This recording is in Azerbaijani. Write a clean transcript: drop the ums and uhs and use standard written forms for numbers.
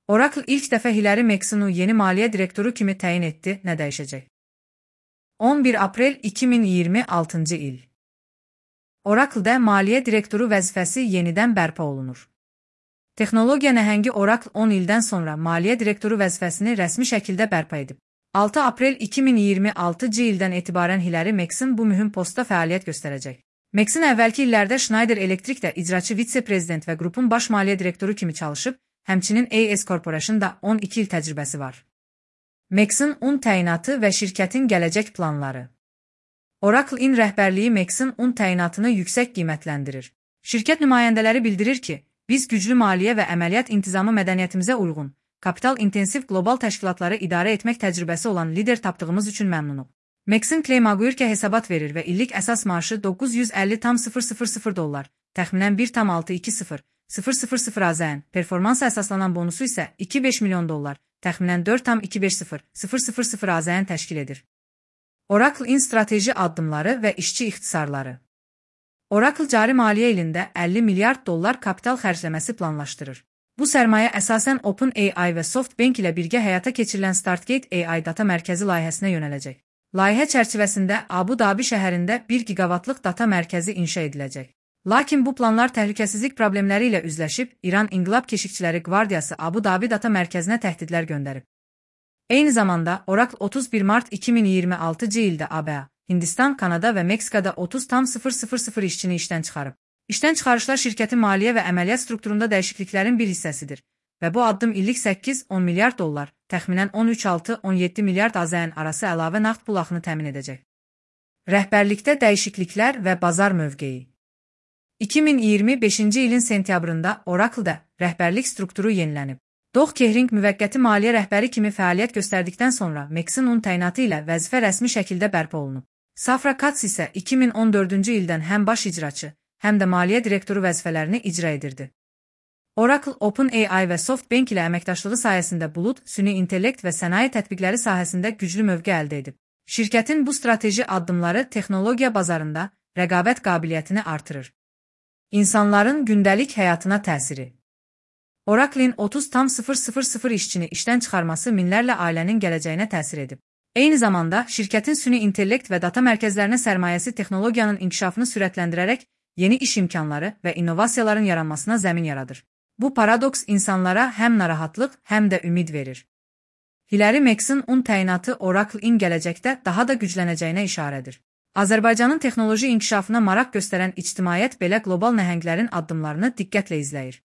Oracle ilk dəfə Hilary Maxsonu yeni maliyyə direktoru kimi təyin etdi, nə dəyişəcək? 11 aprel 2026-cı il. Oracle-da maliyyə direktoru vəzifəsi yenidən bərpa olunur. Texnologiya nəhəngi Oracle 10 ildən sonra maliyyə direktoru vəzifəsini rəsmi şəkildə bərpa edib. 6 aprel 2026-cı ildən etibarən Hilary Maxson bu mühüm postda fəaliyyət göstərəcək. Maxson əvvəlki illərdə Schneider Electricdə icraçı vitse-prezident və qrupun baş maliyyə direktoru kimi çalışıb, həmçinin AES Corporation-da 12 il təcrübəsi var. Maxson təyinatı və şirkətin gələcək planları. Oracle-in rəhbərliyi Maxson təyinatını yüksək qiymətləndirir. Şirkət nümayəndələri bildirir ki, biz güclü maliyyə və əməliyyat intizamı mədəniyyətimizə uyğun, kapital-intensiv qlobal təşkilatları idarə etmək təcrübəsi olan lider tapdığımız üçün məmnunuq. Maxson Claymaguirkə hesabat verir və illik əsas maaşı $950,000, təxminən $1,620,000 AZN, performansa əsaslanan bonusu isə $2,5 milyon, təxminən $4,250,000 AZN təşkil edir. Oracle-in strateji addımları və işçi ixtisarları. Oracle cari maliyyə ilində $50 milyard kapital xərcləməsi planlaşdırır. Bu sərmayə əsasən OpenAI və SoftBank ilə birgə həyata keçirilən StartGate AI data mərkəzi layihəsinə yönələcək. Layihə çərçivəsində Abu Dhabi şəhərində 1 gigavatlıq data mərkəzi inşa ediləcək. Lakin bu planlar təhlükəsizlik problemləri ilə üzləşib, İran İnqilab Keşikçiləri Qvardiyası Abu Dhabi data mərkəzinə təhdidlər göndərib. Eyni zamanda Oracle 31 mart 2026-cı ildə ABA, Hindistan, Kanada və Meksikada 30,000 işçini işdən çıxarıb. İşdən çıxarışlar şirkətin maliyyə və əməliyyat strukturunda dəyişikliklərin bir hissəsidir və bu addım illik $8-10 milyard, təxminən $13-17 milyard AZN arası əlavə nağd pul axını təmin edəcək. Rəhbərlikdə dəyişikliklər və bazar mövqeyi. 2025-ci ilin sentyabrında Oracle-da rəhbərlik strukturu yenilənib. Doug Kehring müvəqqəti maliyyə rəhbəri kimi fəaliyyət göstərdikdən sonra Maxson təyinatı ilə vəzifə rəsmi şəkildə bərpa olunub. Safra Catz isə 2014-cü ildən həm baş icraçı, həm də maliyyə direktoru vəzifələrini icra edirdi. Oracle, OpenAI və SoftBank ilə əməkdaşlığı sayəsində bulud, süni intellekt və sənaye tətbiqləri sahəsində güclü mövqe əldə edib. Şirkətin bu strateji addımları texnologiya bazarında rəqabət qabiliyyətini artırır. İnsanların gündəlik həyatına təsiri. Oracle-in 30,000 işçini işdən çıxarması minlərlə ailənin gələcəyinə təsir edib. Eyni zamanda, şirkətin süni intellekt və data mərkəzlərinə sərmayəsi texnologiyanın inkişafını sürətləndirərək yeni iş imkanları və innovasiyaların yaranmasına zəmin yaradır. Bu paradoks insanlara həm narahatlıq, həm də ümid verir. Hilary Maxson təyinatı Oracle-in gələcəkdə daha da güclənəcəyinə işarədir. Azərbaycanın texnoloji inkişafına maraq göstərən ictimaiyyət belə qlobal nəhənglərin addımlarını diqqətlə izləyir.